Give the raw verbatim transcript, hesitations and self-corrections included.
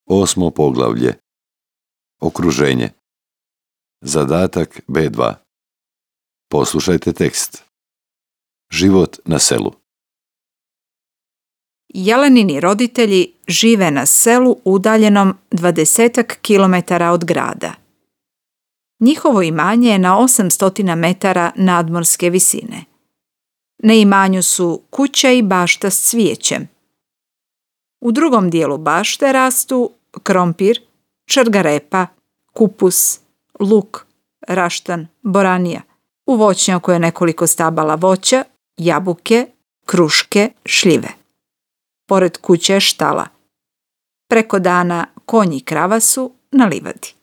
Osmo poglavlje. Okruženje. Zadatak B dva. Poslušajte tekst. Život na selu. Jelenini roditelji žive na selu udaljenom dvadesetak kilometara od grada. Njihovo imanje je na osamsto metara nadmorske visine. Na imanju su kuća i bašta s cvijećem. U drugom dijelu bašte rastu krompir, črgarepa, kupus, luk, raštan, boranija. U voćnjaku je nekoliko stabala voća, jabuke, kruške, šljive. Pored kuće je štala. Preko dana konji i krava su na livadi.